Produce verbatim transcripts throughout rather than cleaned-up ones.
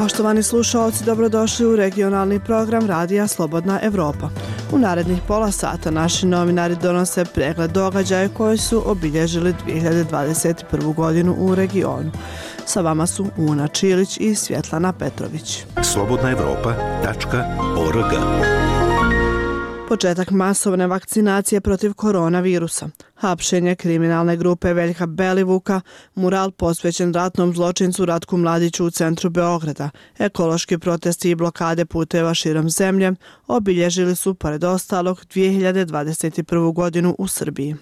Poštovani slušalci, dobrodošli u regionalni program Radija Slobodna Evropa. U narednih pola sata naši novinari donose pregled događaja koji su obilježili dvije hiljade dvadeset prvu. godinu u regionu. Sa vama su Una Čilić i Svjetlana Petrović. slobodna evropa tačka org. Početak masovne vakcinacije protiv koronavirusa, hapšenje kriminalne grupe Veljka Belivuka, mural posvećen ratnom zločincu Ratku Mladiću u centru Beograda, ekološki protesti i blokade puteva širom zemlje obilježili su, pored ostalog, dvije hiljade dvadeset prvu. godinu u Srbiji.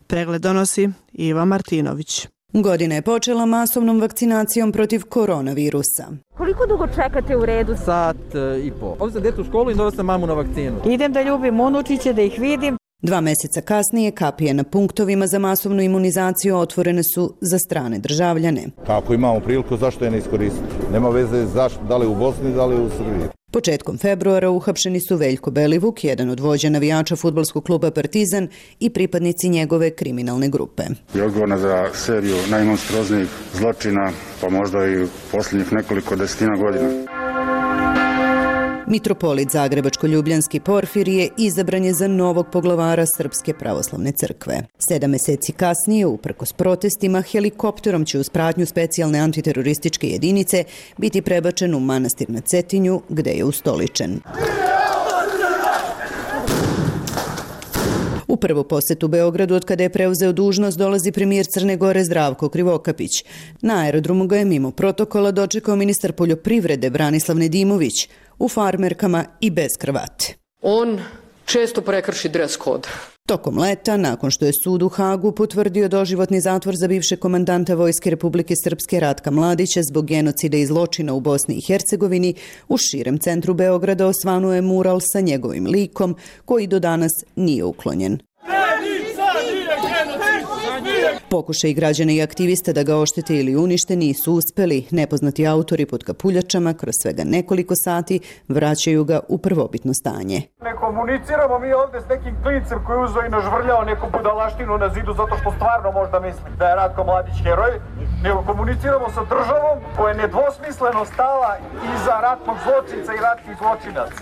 Pregled donosi Iva Martinović. Godina je počela masovnom vakcinacijom protiv koronavirusa. Koliko dugo čekate u redu? Sat i po. Ovdje sam djetu u školu i doveo sam mamu na vakcinu. Idem da ljubim unučiće, da ih vidim. Dva mjeseca kasnije kapije na punktovima za masovnu imunizaciju otvorene su za strane državljane. Ako imamo priliku, zašto je ne iskoristiti? Nema veze zašto, da li u Bosni, da li u Srbiji. Početkom februara uhapšeni su Veljko Belivuk, jedan od vođa navijača fudbalskog kluba Partizan i pripadnici njegove kriminalne grupe. Je odgovorna za seriju najmonstroznijih zločina, pa možda i posljednjih nekoliko desetina godina. Mitropolit Zagrebačko-Ljubljanski Porfirije izabran je za novog poglavara Srpske pravoslavne crkve. Sedam mjeseci kasnije, uprkos protestima, helikopterom će uz pratnju specijalne antiterorističke jedinice biti prebačen u manastir na Cetinju, gde je ustoličen. U prvu posetu Beogradu od kada je preuzeo dužnost dolazi premijer Crne Gore Zdravko Krivokapić. Na aerodromu ga je mimo protokola dočekao ministar poljoprivrede Branislav Nedimović u farmerkama i bez kravate. On često prekrši dres kod. Tokom leta, nakon što je sud u Hagu potvrdio doživotni zatvor za bivšeg komandanta Vojske Republike Srpske Ratka Mladića zbog genocida i zločina u Bosni i Hercegovini, u širem centru Beograda osvanuo je mural sa njegovim likom, koji do danas nije uklonjen. Pokušaj građana i aktivista da ga oštete ili unište nisu uspeli. Nepoznati autori pod kapuljačama kroz svega nekoliko sati vraćaju ga u prvobitno stanje. Ne komuniciramo mi ovdje s nekim klincem koji je uzeo i nažvrljao neku budalaštinu na zidu zato što stvarno možda misli da je Ratko Mladić heroj, nego komuniciramo sa državom koja je nedvosmisleno stala iza ratnog zločinca i ratnih zločinaca.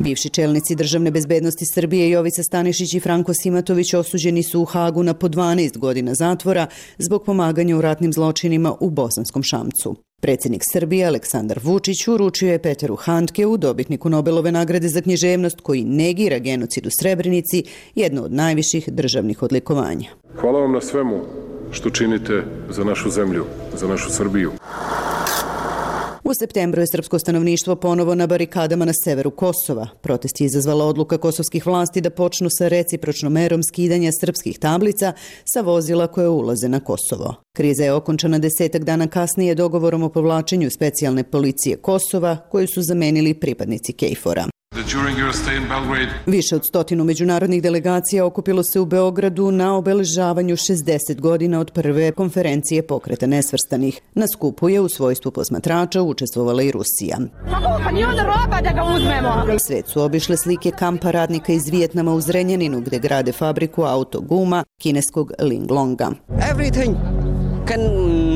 Bivši čelnici državne bezbednosti Srbije Jovica Stanišić i Franko Simatović osuđeni su u Hagu na po dvanaest godina zatvora zbog pomaganja u ratnim zločinima u Bosanskom Šamcu. Predsjednik Srbije Aleksandar Vučić uručio je Peteru Handkeu, dobitniku Nobelove nagrade za književnost, koji negira genocid u Srebrenici, jedno od najviših državnih odlikovanja. Hvala vam na svemu što činite za našu zemlju, za našu Srbiju. U septembru je srpsko stanovništvo ponovo na barikadama na severu Kosova. Protest je izazvala odluka kosovskih vlasti da počnu sa recipročnom merom skidanja srpskih tablica sa vozila koje ulaze na Kosovo. Kriza je okončana desetak dana kasnije dogovorom o povlačenju specijalne policije Kosova, koju su zamenili pripadnici Kejfora. Više od stotinu međunarodnih delegacija okupilo se u Beogradu na obeležavanju šezdeset godina od prve konferencije Pokreta nesvrstanih. Na skupu je u svojstvu posmatrača učestvovala i Rusija. Svet su obišle slike kampa radnika iz Vijetnama u Zrenjaninu, gde grade fabriku autoguma kineskog Linglonga. Everything can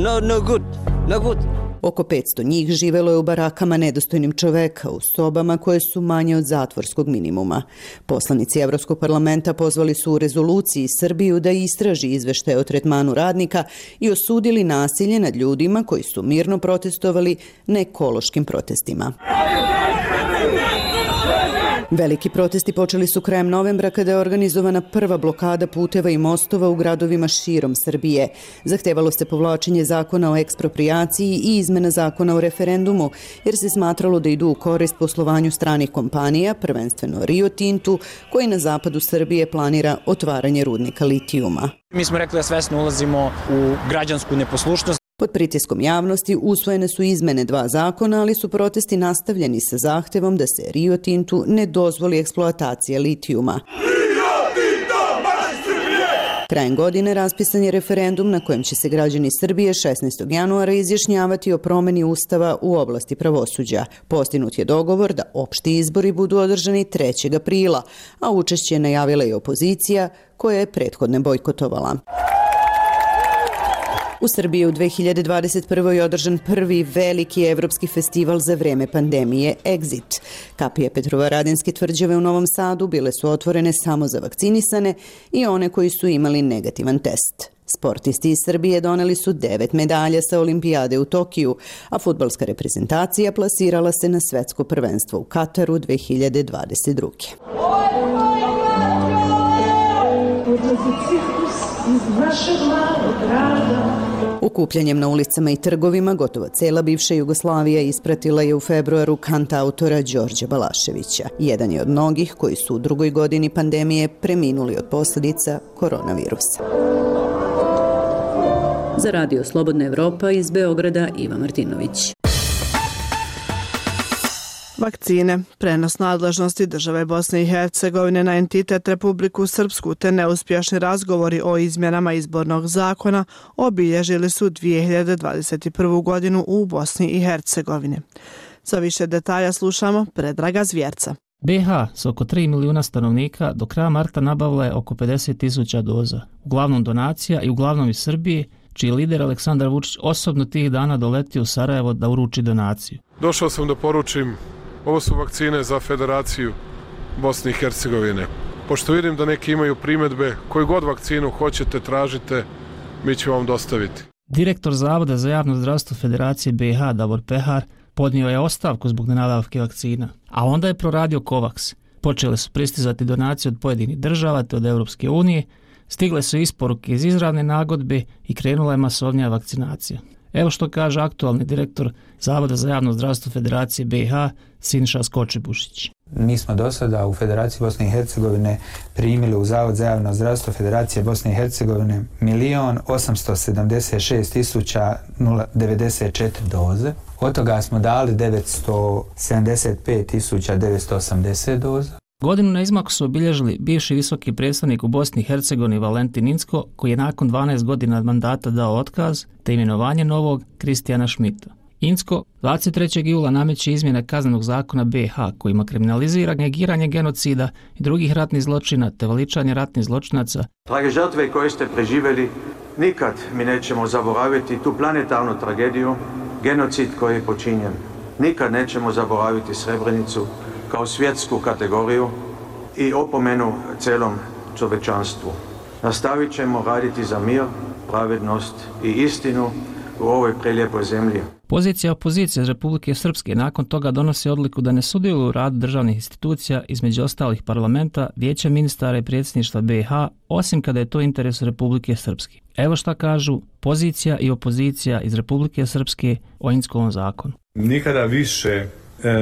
no, no good, no good. Oko petsto njih živelo je u barakama nedostojnim čoveka, u sobama koje su manje od zatvorskog minimuma. Poslanici Evropskog parlamenta pozvali su u rezoluciji Srbiju da istraži izveštaje o tretmanu radnika i osudili nasilje nad ljudima koji su mirno protestovali na ekološkim protestima. Veliki protesti počeli su krajem novembra kada je organizovana prva blokada puteva i mostova u gradovima širom Srbije. Zahtevalo se povlačenje zakona o eksproprijaciji i izmena zakona o referendumu, jer se smatralo da idu u korist poslovanju stranih kompanija, prvenstveno Rio Tintu, koji na zapadu Srbije planira otvaranje rudnika litijuma. Mi smo rekli da svesno ulazimo u građansku neposlušnost. Pod pritiskom javnosti usvojene su izmene dva zakona, ali su protesti nastavljeni sa zahtevom da se Rio Tintu ne dozvoli eksploatacija litijuma. Krajem godine raspisan je referendum na kojem će se građani Srbije šesnaestog januara izjašnjavati o promeni ustava u oblasti pravosuđa. Postignut je dogovor da opšti izbori budu održani trećeg aprila, a učešće je najavila i opozicija koja je prethodne bojkotovala. U Srbiji u dve hiljade dvadeset prvoj je održan prvi veliki evropski festival za vreme pandemije Exit. Kapije Petrovaradinske tvrđave u Novom Sadu bile su otvorene samo za vakcinisane i one koji su imali negativan test. Sportisti iz Srbije doneli su devet medalja sa olimpijade u Tokiju, a fudbalska reprezentacija plasirala se na svetsko prvenstvo u Kataru dve hiljade dvadeset druge. Okupljanjem na ulicama i trgovima gotovo cela bivša Jugoslavija ispratila je u februaru kantautora Đorđa Balaševića. Jedan je od mnogih koji su u drugoj godini pandemije preminuli od posljedica koronavirusa. Za Radio Slobodna Evropa iz Beograda Iva Martinović. Vakcine, prenos nadležnosti države Bosne i Hercegovine na entitet Republiku Srpsku te neuspješni razgovori o izmjenama izbornog zakona obilježili su dvije hiljade dvadeset prvu godinu u Bosni i Hercegovini. Za više detalja slušamo Predraga Zvjerca. B iH s oko tri milijuna stanovnika do kraja marta nabavila je oko pedeset tisuća doza, uglavnom donacija i uglavnom iz Srbije, čiji lider Aleksandar Vučić osobno tih dana doletio u Sarajevo da uruči donaciju. Došao sam da poručim, ovo su vakcine za Federaciju Bosne i Hercegovine. Pošto vidim da neki imaju primjedbe, koju god vakcinu hoćete, tražite, mi ćemo vam dostaviti. Direktor Zavoda za javno zdravstvo Federacije B iH Davor Pehar podnio je ostavku zbog nenabavke vakcina, a onda je proradio Covax. Počele su pristizati donacije od pojedinih država te od Europske unije, stigle su isporuke iz izravne nagodbe i krenula je masovnija vakcinacija. Evo što kaže aktualni direktor Zavoda za javno zdravstvo Federacije B iH Siniša Skočibušić. Mi smo do sada u Federaciji Bosne i Hercegovine primili u Zavod za javno zdravstvo Federacije Bosne i Hercegovine milion osamsto sedamdeset šest tisuća devedeset četiri doze. Od toga smo dali devetsto sedamdeset pet tisuća devetsto osamdeset doza. Godinu na izmaku su obilježili bivši visoki predstavnik u Bosni i Hercegovini Valentin Incko, koji je nakon dvanaest godina mandata dao otkaz, te imenovanje novog Kristijana Šmita. Incko dvadeset trećeg jula nameće izmjene kaznenog zakona B iH kojima kriminalizira negiranje genocida i drugih ratnih zločina te veličanje ratnih zločinaca. Drage žrtve koje ste preživjeli, nikad mi nećemo zaboraviti tu planetarnu tragediju, genocid koji je počinjen. Nikad nećemo zaboraviti Srebrenicu kao svjetsku kategoriju i opomenu celom čovečanstvu. Nastavit ćemo raditi za mir, pravednost i istinu u ovoj prelijepoj zemlji. Pozicija opozicije iz Republike Srpske nakon toga donosi odluku da ne sudjeluju u radu državnih institucija, između ostalih parlamenta, vijeća ministara i predsjedništva B iH, osim kada je to interes Republike Srpske. Evo šta kažu pozicija i opozicija iz Republike Srpske o Inckovom zakonu. Nikada više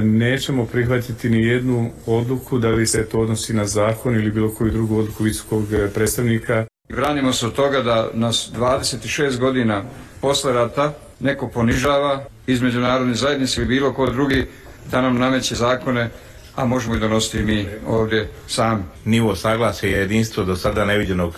nećemo prihvatiti ni jednu odluku da li se to odnosi na zakon ili bilo koju drugu odluku visokog predstavnika. Branimo se od toga da nas dvadeset šest godina posle rata neko ponižava iz međunarodne zajednice i bilo ko drugi da nam nameće zakone, a možemo i donositi mi ovdje sami. Nivo saglasja je jedinstvo do sada neviđenog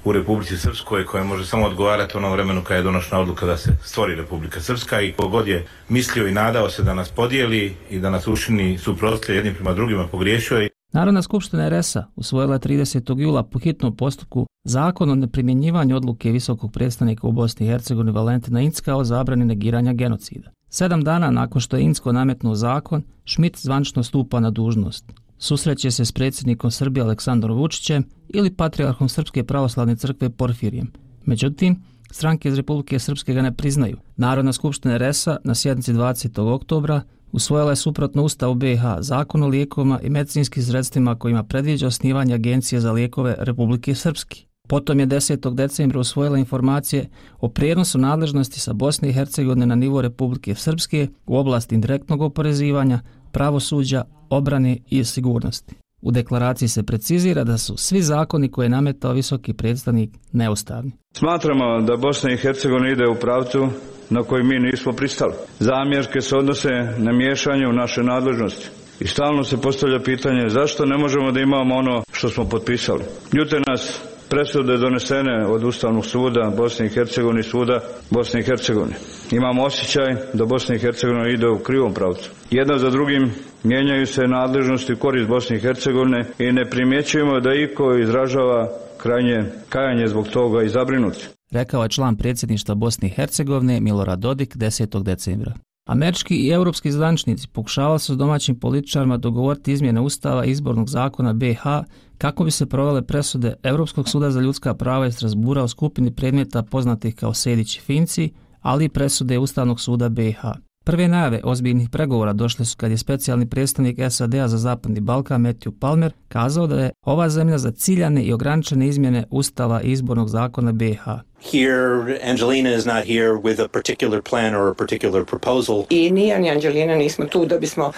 u Republici Srpskoj, koje može samo odgovarati onom vremenu kada je donošena odluka da se stvori Republika Srpska, i kogod je mislio i nadao se da nas podijeli i da nas učini suprotstavljeni jednim prema drugima, pogriješio je. Narodna skupština er es a usvojila je tridesetog jula po hitnom postupku zakon o neprimjenjivanju odluke visokog predstavnika u Bosni i Hercegovini Valentina Incka o zabrani negiranja genocida. Sedam dana nakon što je Incko nametnuo zakon, Šmit zvančno stupa na dužnost. Susreće se s predsjednikom Srbije Aleksandrom Vučićem ili patrijarhom Srpske pravoslavne crkve Porfirijem. Međutim, stranke iz Republike Srpske ga ne priznaju. Narodna skupština er es a na sjednici dvadesetog oktobra usvojila je suprotno Ustavu B iH zakon o lijekovima i medicinskim sredstvima kojima predviđa osnivanje Agencije za lijekove Republike Srpske. Potom je desetog decembra usvojila informacije o prijenosu nadležnosti sa Bosne i Hercegovine na nivo Republike Srpske u oblasti indirektnog oporezivanja, pravosuđa, obrane i sigurnosti. U deklaraciji se precizira da su svi zakoni koje je nametao visoki predstavnik neustavni. Smatramo da Bosna i Hercegovina ide u pravcu na koji mi nismo pristali. Zamjerke se odnose na miješanje u naše nadležnosti. I stalno se postavlja pitanje zašto ne možemo da imamo ono što smo potpisali. Ljute nas presude donesene od Ustavnog suda Bosne i Hercegovine i suda Bosne i Hercegovine. Imamo osjećaj da Bosna i Hercegovina ide u krivom pravcu. Jedna za drugim mijenjaju se nadležnosti u korist Bosne i Hercegovine i ne primjećujemo da iko izražava krajnje kajanje zbog toga i zabrinuti. rekao je član predsjedništva Bosne i Hercegovine Milorad Dodik desetog decembra. Američki i europski zvaničnici pokušavali su s domaćim političarima dogovoriti izmjene Ustava i izbornog zakona B i H kako bi se provele presude Europskog suda za ljudska prava iz Strasbura u skupini predmeta poznatih kao Sejdić i Finci, ali i presude Ustavnog suda B i H. Prve najave ozbiljnih pregovora došle su kad je specijalni predstavnik S A D-a za Zapadni Balkan Matthew Palmer kazao da je ova zemlja za ciljane i ograničene izmjene Ustava i izbornog zakona B i H. Here, Angelina is not here with a particular plan or a particular proposal. I ni ja ni Angelina nismo tu da bismo uh,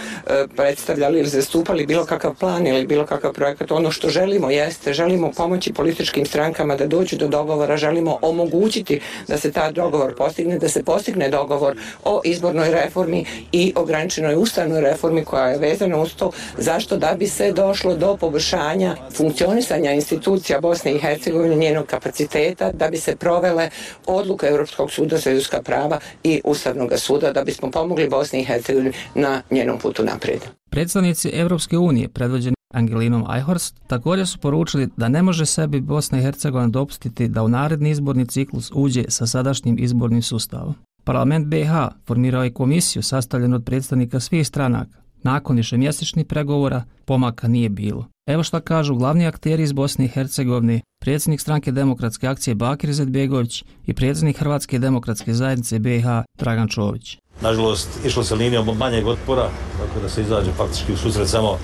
predstavljali ili zastupali bilo kakav plan ili bilo kakav projekat. Ono što želimo jeste, želimo pomoći političkim strankama da dođu do dogovora, želimo omogućiti da se ta dogovor postigne, da se postigne dogovor o izbornoj reformi i ograničenoj ustavnoj reformi koja je vezana uz to. Zašto? Da bi se došlo do poboljšanja funkcionisanja institucija Bosne i Hercegovine, njenog kapaciteta, da bi se provele odluke Europskog suda za ljudska prava i Ustavnog suda, da bismo pomogli Bosni i Hercegovini na njenom putu naprijed. Predstavnici Europske unije, predvođeni Angelinom Eichhorst, također su poručili da ne može sebi Bosna i Hercegovina dopustiti da u naredni izborni ciklus uđe sa sadašnjim izbornim sustavom. Parlament B i H formirao je komisiju sastavljenu od predstavnika svih stranaka. Nakon višemjesečnih pregovora pomaka nije bilo. Evo šta kažu glavni akteri iz Bosne i Hercegovine, predsjednik stranke Demokratske akcije Bakir Izetbegović i predsjednik Hrvatske demokratske zajednice B i H Dragan Čović. Nažalost, išlo se linijom manjeg otpora, tako da se izađe faktički u susret samo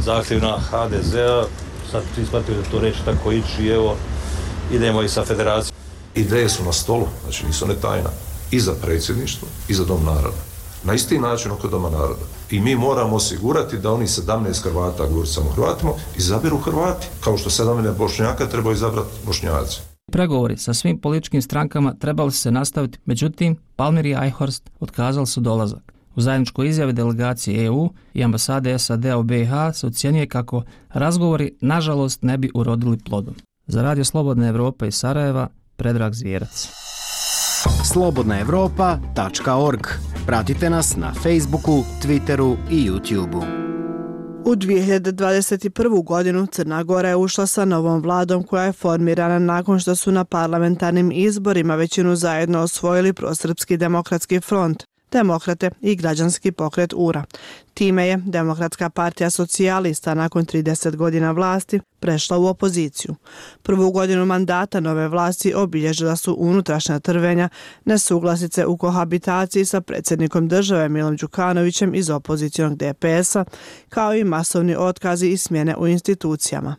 zahtjevima H D Z-a. Sad svi shvatili da to neće tako ići i evo, idemo i sa federacijom. Ideje su na stolu, znači nisu ne tajna, i za predsjedništvo i za Dom naroda. Na isti način oko Doma naroda. I mi moramo osigurati da oni sedamnaest Hrvata, govorit samo Hrvatima, izaberu Hrvati. Kao što sedamnaest Bošnjaka treba izabrati Bošnjaci. Pregovori sa svim političkim strankama trebali se nastaviti, međutim, Palmer i Eichhorst otkazali su dolazak. U zajedničkoj izjavi delegacije E U i ambasade S A D-a u B i H se ocjenjuje kako razgovori nažalost ne bi urodili plodom. Za Radio Slobodna Evropa iz Sarajeva, Predrag Zvijerac. slobodna evropa tačka org. Pratite nas na Facebooku, Twitteru i YouTubeu. U dvije hiljade dvadeset prvu. godinu Crna Gora je ušla sa novom vladom koja je formirana nakon što su na parlamentarnim izborima većinu zajedno osvojili Prosrpski demokratski front, Demokrate i građanski pokret U R A. Time je Demokratska partija socijalista nakon trideset godina vlasti prešla u opoziciju. Prvu godinu mandata nove vlasti obilježila su unutrašnja trvenja, nesuglasice u kohabitaciji sa predsjednikom države Milom Đukanovićem iz opozicionog D P S-a, kao i masovni otkazi i smjene u institucijama.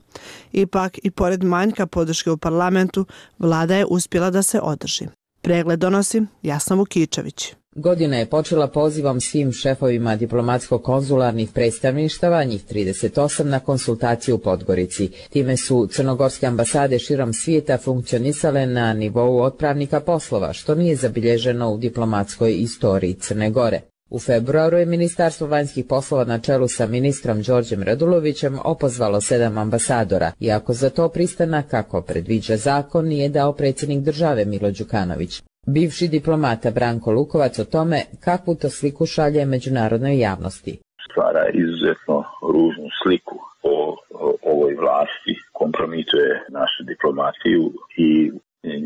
Ipak, i pored manjka podrške u parlamentu, vlada je uspjela da se održi. Pregled donosi Jasna Vukičević. Godina je počela pozivom svim šefovima diplomatsko-konzularnih predstavništava, njih trideset osam, na konsultaciju u Podgorici. Time su crnogorske ambasade širom svijeta funkcionisale na nivou otpravnika poslova, što nije zabilježeno u diplomatskoj istoriji Crne Gore. U februaru je Ministarstvo vanjskih poslova na čelu sa ministrom Đorđem Radulovićem opozvalo sedam ambasadora, iako za to pristanak, kako predviđa zakon, nije dao predsjednik države Milo Đukanović. Bivši diplomata Branko Lukovac o tome kakvu to sliku šalje međunarodnoj javnosti. Stvara izuzetno ružnu sliku o, o ovoj vlasti, kompromituje našu diplomatiju i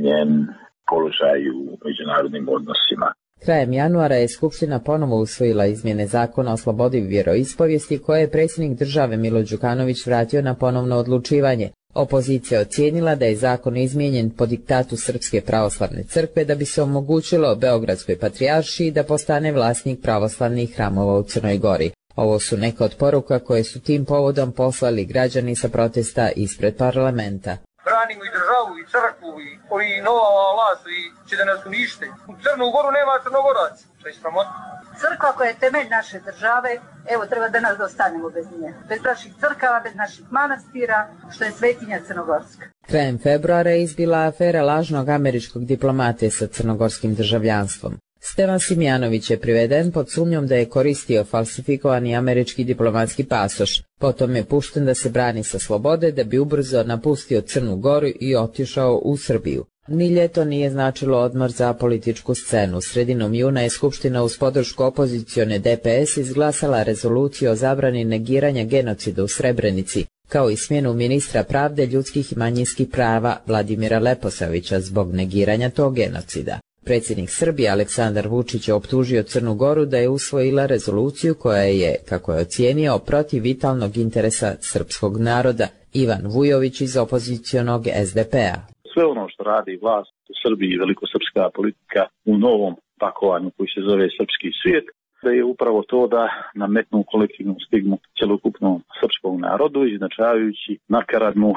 njen položaj u međunarodnim odnosima. Krajem januara je Skupština ponovo usvojila izmjene zakona o slobodi vjeroispovijesti koje je predsjednik države Milo Đukanović vratio na ponovno odlučivanje. Opozicija ocijenila da je zakon izmijenjen po diktatu Srpske pravoslavne crkve da bi se omogućilo Beogradskoj patrijaršiji da postane vlasnik pravoslavnih hramova u Crnoj Gori. Ovo su neke od poruka koje su tim povodom poslali građani sa protesta ispred parlamenta. Branimo i državu i crkvu i ovi nova vlast i će da nas unište. U Crnu Goru nema Crnogoraca. To je sramotno. Crkva koja je temelj naše države, evo treba da nas ostanemo bez nje. Bez naših crkava, bez naših manastira, što je svetinja Crnogorska. Krajem februara je izbila afera lažnog američkog diplomate sa crnogorskim državljanstvom. Stevan Simjanović je priveden pod sumnjom da je koristio falsifikovani američki diplomatski pasoš. Potom je pušten da se brani sa slobode da bi ubrzo napustio Crnu Goru i otišao u Srbiju. Ni ljeto nije značilo odmor za političku scenu. Sredinom juna je Skupština uz podršku opozicione D P S izglasala rezoluciju o zabrani negiranja genocida u Srebrenici. kao i smjenu ministra pravde, ljudskih i manjinskih prava Vladimira Leposavića zbog negiranja tog genocida. Predsjednik Srbije Aleksandar Vučić je optužio Crnu Goru da je usvojila rezoluciju koja je, kako je ocijenio, protiv vitalnog interesa srpskog naroda. Ivan Vujović iz opozicionog S D P-a. Sve ono što radi vlast u Srbiji i velikosrpska politika u novom pakovanju koji se zove srpski svijet, da je upravo to da nametnu kolektivnu stigmu celokupnom srpskom narodu, iznačavajući nakaradnu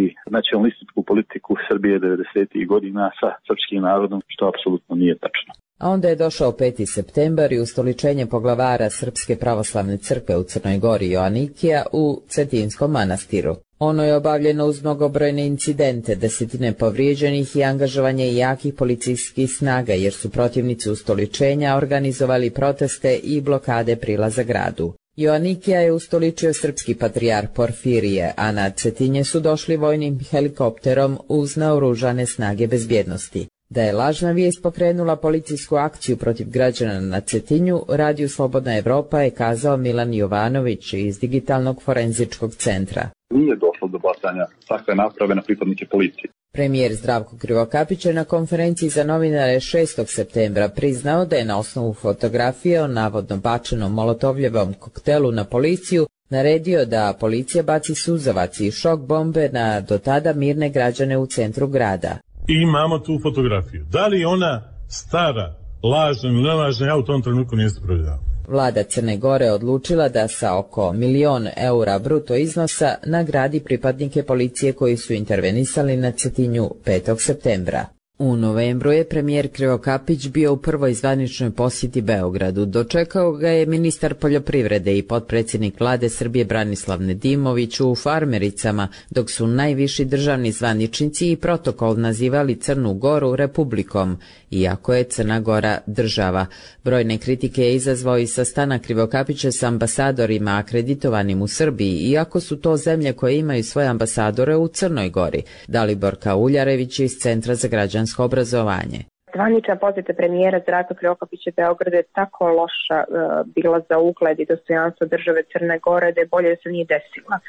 i nacionalističku politiku Srbije devedesetih godina sa srpskim narodom, što apsolutno nije tačno. A onda je došao peti septembar i ustoličenje poglavara Srpske pravoslavne crkve u Crnoj Gori Joanikija u Cetinskom manastiru. Ono je obavljeno uz mnogobrojne incidente, desetine povrijeđenih i angažovanje jakih policijskih snaga, jer su protivnici ustoličenja organizovali proteste i blokade prilaza gradu. Joanikija je ustoličio srpski patrijarh Porfirije, a na Cetinje su došli vojnim helikopterom uz naoružane snage bezbjednosti. Da je lažna vijest pokrenula policijsku akciju protiv građana na Cetinju, radiju Slobodna Evropa je kazao Milan Jovanović iz Digitalnog forenzičkog centra. Nije došlo do bacanja takve naprave na pripadnike policije. Premijer Zdravko Krivokapić je na konferenciji za novinare šestog septembra priznao da je na osnovu fotografije o navodno bačenom molotovljevom koktelu na policiju naredio da policija baci suzavac i šok bombe na do tada mirne građane u centru grada. I imamo tu fotografiju. Da li ona stara, lažna ili nelažna, ja u tom trenutku niste provjerao. Vlada Crne Gore odlučila da sa oko milion eura bruto iznosa nagradi pripadnike policije koji su intervenisali na Cetinju petog septembra. U novembru je premijer Krivokapić bio u prvoj zvaničnoj posjeti Beogradu. Dočekao ga je ministar poljoprivrede i potpredsjednik vlade Srbije Branislav Nedimović u Farmericama, dok su najviši državni zvaničnici i protokol nazivali Crnu Goru republikom, iako je Crna Gora država. Brojne kritike je izazvao i sastanak Krivokapića s ambasadorima akreditovanim u Srbiji, iako su to zemlje koje imaju svoje ambasadore u Crnoj Gori. Dalibor Kauljarević iz Centra za građansko obrazovanje. Zvanična posjeta premijera Zdravka Krivokapića Beogradu je tako loša uh, bila za ugled i dostojanstvo države Crne Gore da je bolje da se nije desila. Uh,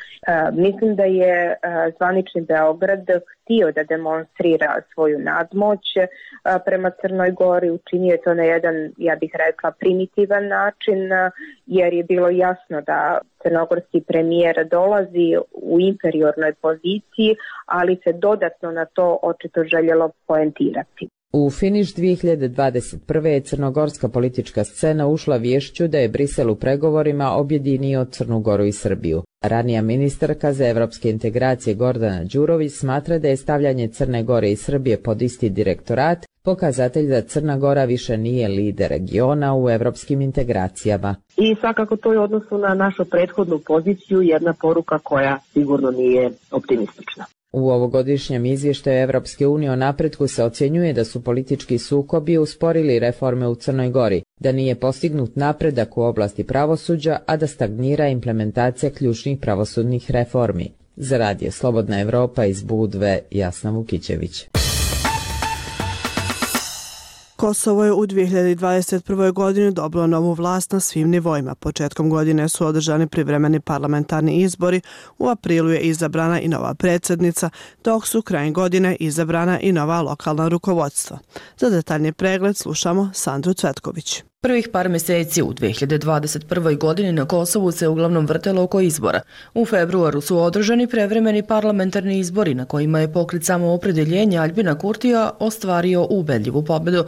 mislim da je uh, zvanični Beograd htio da demonstrira svoju nadmoć uh, prema Crnoj Gori, učinio je to na jedan, ja bih rekla, primitivan način, uh, jer je bilo jasno da crnogorski premijer dolazi u inferiornoj poziciji, ali se dodatno na to očito željelo poentirati. U finiš dvije hiljade dvadeset prve. je crnogorska politička scena ušla vješću da je Brisel u pregovorima objedinio Crnu Goru i Srbiju. Ranija ministarka za evropske integracije Gordana Đurović smatra da je stavljanje Crne Gore i Srbije pod isti direktorat pokazatelj da Crna Gora više nije lider regiona u evropskim integracijama. I svakako to je u odnosu na našu prethodnu poziciju jedna poruka koja sigurno nije optimistična. U ovogodišnjem izvještaju Evropske unije o napretku se ocjenjuje da su politički sukobi usporili reforme u Crnoj Gori, da nije postignut napredak u oblasti pravosuđa, a da stagnira implementacija ključnih pravosudnih reformi. Za Radio Slobodna Evropa iz Budve, Jasna Vukićević. Kosovo je u dvije hiljade dvadeset prvoj. godini dobilo novu vlast na svim nivoima. Početkom godine su održani privremeni parlamentarni izbori, u aprilu je izabrana i nova predsjednica, dok su krajem godine izabrana i nova lokalna rukovodstva. Za detaljni pregled slušamo Sandru Cvetković. Prvih par mjeseci u dvije hiljade dvadeset prvoj. godini na Kosovu se uglavnom vrtelo oko izbora. U februaru su održani prevremeni parlamentarni izbori na kojima je pokret Samoopredjeljenja Aljbina Kurtija ostvario ubedljivu pobjedu.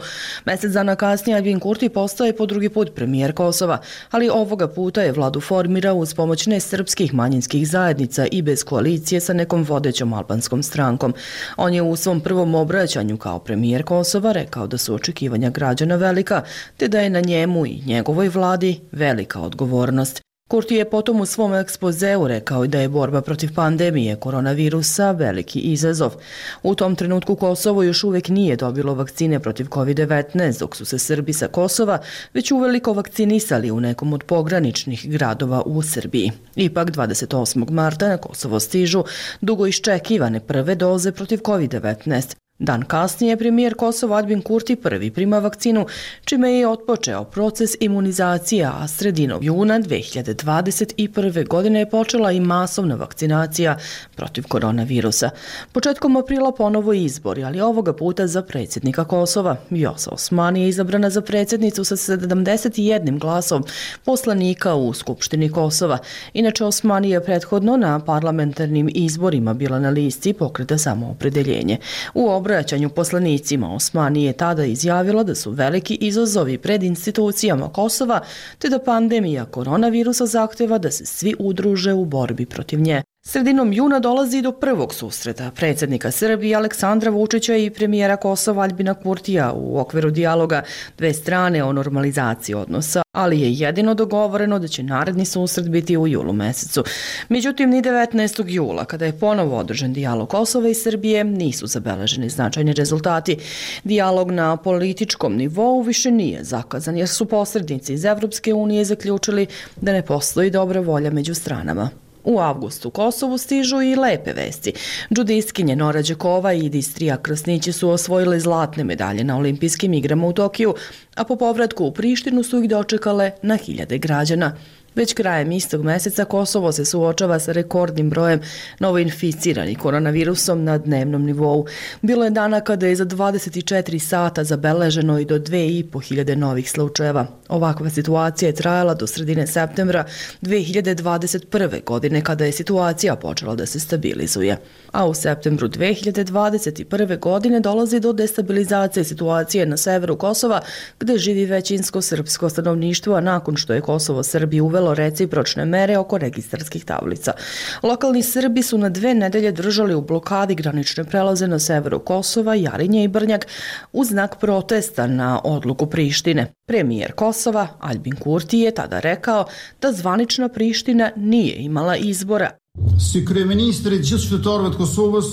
Mjesec dana kasnije Aljbin Kurti postaje po drugi put premijer Kosova, ali ovoga puta je vladu formirao uz pomoć nesrpskih manjinskih zajednica i bez koalicije sa nekom vodećom albanskom strankom. On je u svom prvom obraćanju kao premijer Kosova rekao da su očekivanja građana velika, te da je na njemu i njegovoj vladi velika odgovornost. Kurti je potom u svom ekspozeu rekao da je borba protiv pandemije koronavirusa veliki izazov. U tom trenutku Kosovo još uvijek nije dobilo vakcine protiv kovid devetnaest, dok su se Srbi sa Kosova već uveliko vakcinisali u nekom od pograničnih gradova u Srbiji. Ipak dvadeset osmog marta na Kosovo stižu dugo iščekivane prve doze protiv kovid devetnaest. Dan kasnije premijer Kosova Aljbin Kurti prvi prima vakcinu, čime je otpočeo proces imunizacije, a sredinom juna dve hiljade dvadeset prve. godine je počela i masovna vakcinacija protiv koronavirusa. Početkom aprila ponovo izbori, ali ovoga puta za predsjednika Kosova. Vjosa Osmani je izabrana za predsjednicu sa sedamdeset jednim glasom poslanika u Skupštini Kosova. Inače, Osmani je prethodno na parlamentarnim izborima bila na listi Pokreta samoopredeljenje. U obraćanju poslanicima Osmani je tada izjavila da su veliki izazovi pred institucijama Kosova, te da pandemija koronavirusa zahteva da se svi udruže u borbi protiv nje. Sredinom juna dolazi do prvog susreta predsjednika Srbije Aleksandra Vučića i premijera Kosova Aljbina Kurtija u okviru dijaloga dve strane o normalizaciji odnosa, ali je jedino dogovoreno da će naredni susret biti u julu mesecu. Međutim, ni devetnaestog jula, kada je ponovo održan dijalog Kosova i Srbije, nisu zabeleženi značajni rezultati. Dijalog na političkom nivou više nije zakazan, jer su posrednici iz Evropske unije zaključili da ne postoji dobra volja među stranama. U avgustu Kosovu stižu i lepe vesti. Džudistkinje Nora Đakova i Distrija Krasnići su osvojile zlatne medalje na olimpijskim igrama u Tokiju, a po povratku u Prištinu su ih dočekale na hiljade građana. Već krajem istog meseca Kosovo se suočava sa rekordnim brojem novoinficiranih koronavirusom na dnevnom nivou. Bilo je dana kada je za dvadeset četiri sata zabeleženo i do dve i po hiljade novih slučajeva. Ovakva situacija je trajala do sredine septembra dve hiljade dvadeset prve. godine kada je situacija počela da se stabilizuje. A u septembru dve hiljade dvadeset prve. godine dolazi do destabilizacije situacije na severu Kosova, gde živi većinsko srpsko stanovništvo, a nakon što je Kosovo Srbiji uvelo recipročne mere oko registarskih tablica. Lokalni Srbi su na dve nedelje držali u blokadi granične prelaze na severu Kosova, Jarinje i Brnjak u znak protesta na odluku Prištine. Premijer Kosova Aljbin Kurti je tada rekao da zvanična Priština nije imala izbora.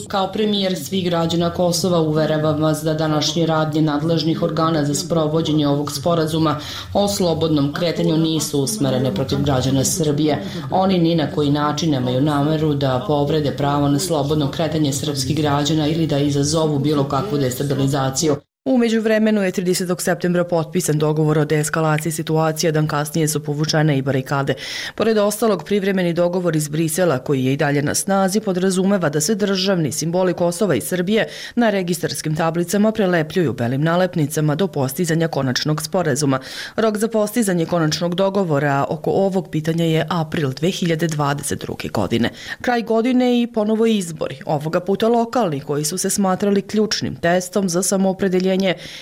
Kao premijer svih građana Kosova uveravam vas da današnje radnje nadležnih organa za sprovođenje ovog sporazuma o slobodnom kretanju nisu usmerene protiv građana Srbije. Oni ni na koji način nemaju nameru da povrede pravo na slobodno kretanje srpskih građana ili da izazovu bilo kakvu destabilizaciju. U međuvremenu je tridesetog septembra potpisan dogovor o deeskalaciji situacije, dan kasnije su povučene i barikade. Pored ostalog, privremeni dogovor iz Brisela, koji je i dalje na snazi, podrazumeva da se državni simboli Kosova i Srbije na registarskim tablicama prelepljuju belim nalepnicama do postizanja konačnog sporazuma. Rok za postizanje konačnog dogovora oko ovog pitanja je april dve hiljade dvadeset druge. godine. Kraj godine i ponovo izbori, ovoga puta lokalni, koji su se smatrali ključnim testom za samoopredeljenje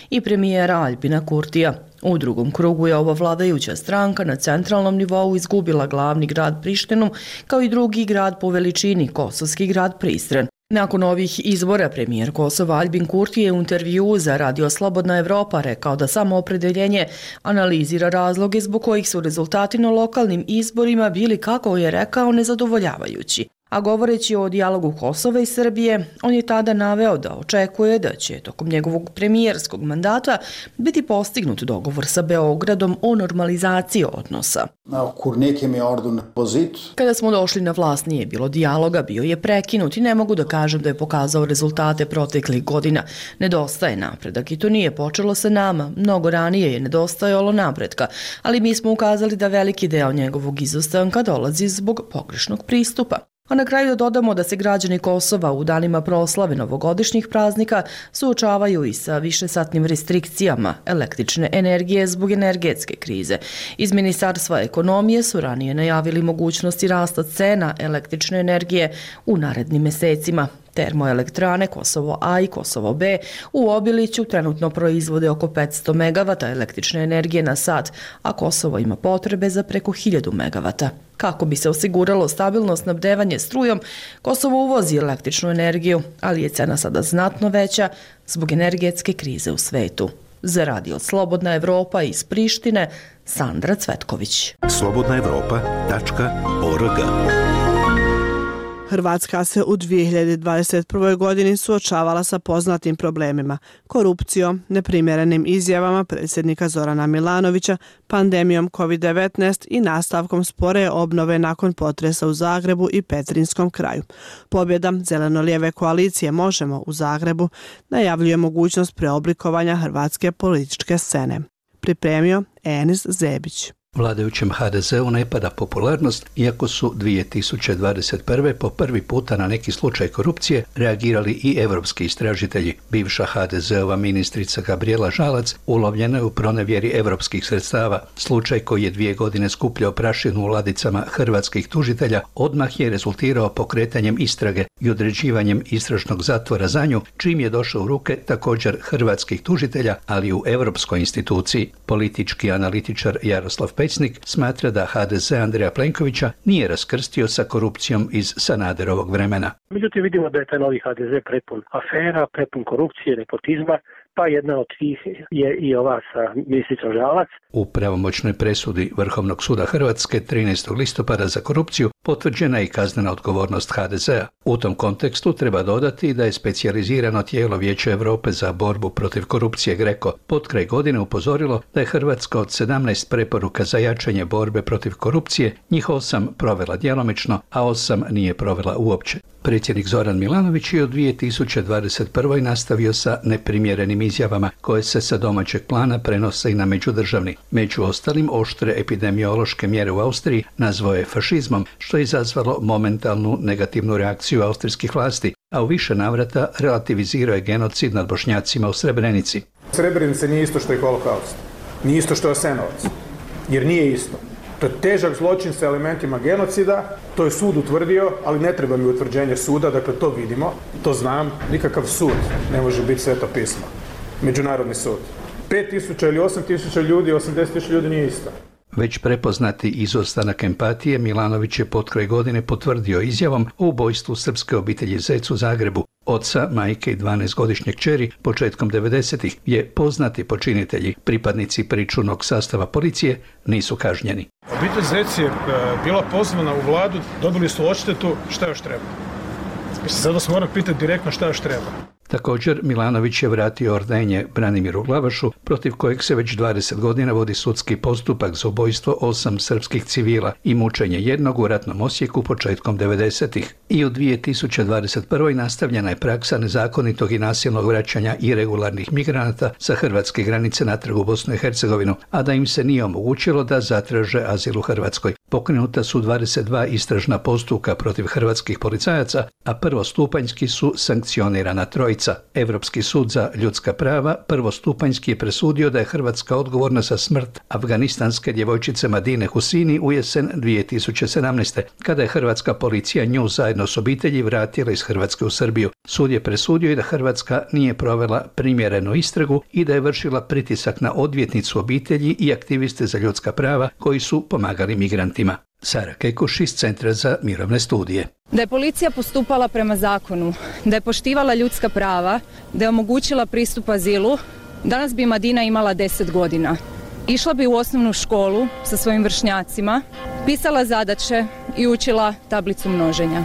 i premijera Aljbina Kurtija. U drugom krugu je ova vladajuća stranka na centralnom nivou izgubila glavni grad Prištinu, kao i drugi grad po veličini, kosovski grad Prizren. Nakon ovih izbora premijer Kosova Aljbin Kurti je u intervjuu za Radio Slobodna Evropa rekao da samoopredeljenje analizira razloge zbog kojih su rezultati na lokalnim izborima bili, kako je rekao, nezadovoljavajući. A govoreći o dijalogu Kosova i Srbije, on je tada naveo da očekuje da će tokom njegovog premijerskog mandata biti postignut dogovor sa Beogradom o normalizaciji odnosa. Kada smo došli na vlast nije bilo dijaloga, bio je prekinut i ne mogu da kažem da je pokazao rezultate proteklih godina. Nedostaje napredak i to nije počelo sa nama. Mnogo ranije je nedostajalo napretka, ali mi smo ukazali da veliki deo njegovog izostanka dolazi zbog pogrešnog pristupa. A na kraju da dodamo da se građani Kosova u danima proslave novogodišnjih praznika suočavaju i sa višesatnim restrikcijama električne energije zbog energetske krize. Iz Ministarstva ekonomije su ranije najavili mogućnosti rasta cena električne energije u narednim mesecima. Termoelektrane Kosovo A i Kosovo B u Obiliću trenutno proizvode oko petsto megavata električne energije na sat, a Kosovo ima potrebe za preko hiljadu megavata. Kako bi se osiguralo stabilno snabdevanje strujom, Kosovo uvozi električnu energiju, ali je cena sada znatno veća zbog energetske krize u svetu. Za Radio Slobodna Evropa iz Prištine, Sandra Cvetković. slobodna evropa tačka org Hrvatska se u dvije hiljade dvadeset prvoj. godini suočavala sa poznatim problemima, korupcijom, neprimjerenim izjavama predsjednika Zorana Milanovića, pandemijom kovid devetnaest i nastavkom spore obnove nakon potresa u Zagrebu i Petrinjskom kraju. Pobjeda zeleno-lijeve koalicije Možemo u Zagrebu najavljuje mogućnost preoblikovanja hrvatske političke scene. Pripremio Enis Zebić. Vladajućem ha de zeu ne pada popularnost, iako su dvije tisuće dvadeset prve. po prvi puta na neki slučaj korupcije reagirali i evropski istražitelji. Bivša ha de zeova ministrica Gabrijela Žalac ulovljena je u pronevjeri evropskih sredstava. Slučaj koji je dvije godine skupljao prašinu u ladicama hrvatskih tužitelja odmah je rezultirao pokretanjem istrage i određivanjem istražnog zatvora za nju, čim je došao u ruke također hrvatskih tužitelja, ali i u europskoj instituciji. Politički analitičar Jaroslav Pecnik smatra da ha de ze Andreja Plenkovića nije raskrstio sa korupcijom iz Sanaderovog vremena. Međutim, vidimo da je taj novi ha de ze prepun afera, prepun korupcije, nepotizma, pa jedna od tih je i ova sa ministricom Žalac. U pravomoćnoj presudi Vrhovnog suda Hrvatske trinaestog listopada za korupciju potvrđena je i kaznena odgovornost ha de zea. U tom kontekstu treba dodati da je specijalizirano tijelo Vijeća Europe za borbu protiv korupcije GRECO potkraj godine upozorilo da je Hrvatska od sedamnaest preporuka za jačanje borbe protiv korupcije njih osam provela djelomično, a osam nije provela uopće. Predsjednik Zoran Milanović je u dvije tisuće dvadeset prvoj. nastavio sa neprimjerenim izjavama koje se sa domaćeg plana prenose i na međudržavni. Među ostalim, oštre epidemiološke mjere u Austriji nazvao je fašizmom, što je izazvalo momentalnu negativnu reakciju austrijskih vlasti, a u više navrata relativizirao je genocid nad Bošnjacima u Srebrenici. Srebrenica nije isto što je holokaust, nije isto što je Jasenovac, jer nije isto. To je težak zločin sa elementima genocida, to je sud utvrdio, ali ne treba mi utvrđenje suda, dakle to vidimo, to znam, nikakav sud ne može biti sveto pismo. Međunarodni sud. pet tisuća ili osam tisuća ljudi, osamdeset tisuća ljudi nije isto. Već prepoznati izostanak empatije, Milanović je potkraj godine potvrdio izjavom o ubojstvu srpske obitelji Zec u Zagrebu. Oca, majke i dvanaestogodišnje kćeri početkom devedesetih je poznati počinitelji, pripadnici pričuvnog sastava policije, nisu kažnjeni. Obitelj Zec je bila pozvana u vladu, dobili su odštetu, šta još treba? Sada se moram pitati direktno šta još treba. Također, Milanović je vratio ordenje Branimiru Glavašu, protiv kojeg se već dvadeset godina vodi sudski postupak za ubojstvo osam srpskih civila i mučenje jednog u ratnom Osijeku početkom devedesetih. I u dvije tisuće dvadeset prvoj. nastavljena je praksa nezakonitog i nasilnog vraćanja iregularnih migranata sa hrvatske granice natrag u Bosnu i Hercegovinu, a da im se nije omogućilo da zatraže azil u Hrvatskoj. Pokrenuta su dvadeset dva istražna postupka protiv hrvatskih policajaca, a prvostupanjski su sankcionirana trojica. Evropski sud za ljudska prava prvostupanjski je presudio da je Hrvatska odgovorna za smrt afganistanske djevojčice Madine Husini u jesen dvije tisuće sedamnaeste. kada je hrvatska policija nju zajedno s obitelji vratila iz Hrvatske u Srbiju. Sud je presudio i da Hrvatska nije provela primjerenu istragu i da je vršila pritisak na odvjetnicu obitelji i aktiviste za ljudska prava koji su pomagali migrantima. Sara Kekuš iz Centra za mirovne studije. Da je policija postupala prema zakonu, da je poštivala ljudska prava, da je omogućila pristup azilu, danas bi Madina imala deset godina. Išla bi u osnovnu školu sa svojim vršnjacima, pisala zadaće i učila tablicu množenja.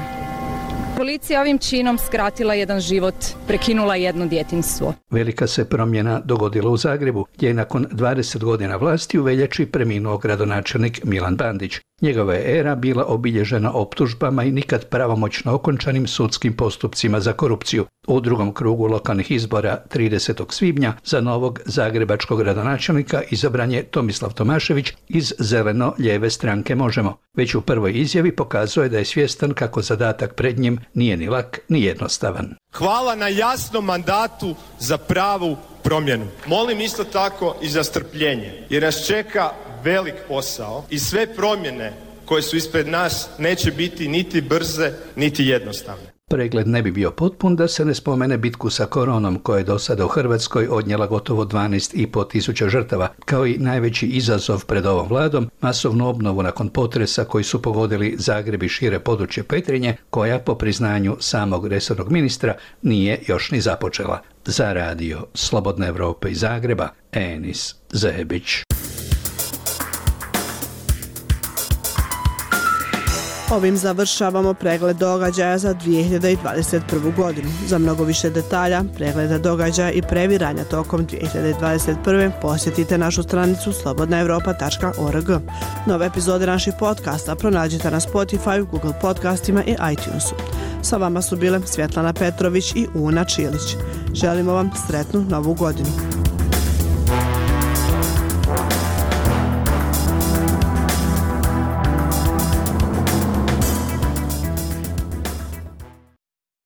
Policija ovim činom skratila jedan život, prekinula jedno djetinjstvo. Velika se promjena dogodila u Zagrebu, gdje je nakon dvadeset godina vlasti u veljači preminuo gradonačelnik Milan Bandić. Njegova je era bila obilježena optužbama i nikad pravomoćno okončanim sudskim postupcima za korupciju. U drugom krugu lokalnih izbora tridesetog svibnja za novog zagrebačkog gradonačelnika izabran je Tomislav Tomašević iz zeleno-lijeve stranke Možemo. Već u prvoj izjavi pokazuje da je svjestan kako zadatak pred njim nije ni lak ni jednostavan. Hvala na jasnom mandatu za pravu promjenu. Molim isto tako i za strpljenje, jer nas čeka velik posao i sve promjene koje su ispred nas neće biti niti brze, niti jednostavne. Pregled ne bi bio potpun da se ne spomene bitku sa koronom koja je do sada u Hrvatskoj odnijela gotovo dvanaest i po tisuća žrtava, kao i najveći izazov pred ovom vladom, masovnu obnovu nakon potresa koji su pogodili Zagreb i šire područje Petrinje, koja po priznanju samog resornog ministra nije još ni započela. Za radio Slobodne Evrope iz Zagreba, Enis Zebić. Ovim završavamo pregled događaja za dvije hiljade dvadeset prvu. godinu. Za mnogo više detalja, pregleda događaja i previranja tokom dvije hiljade dvadeset prve. posjetite našu stranicu slobodna europa tačka org. Nove epizode naših podcasta pronađite na Spotify, Google podcastima i iTunesu. Sa vama su bile Svjetlana Petrović i Una Čilić. Želimo vam sretnu novu godinu.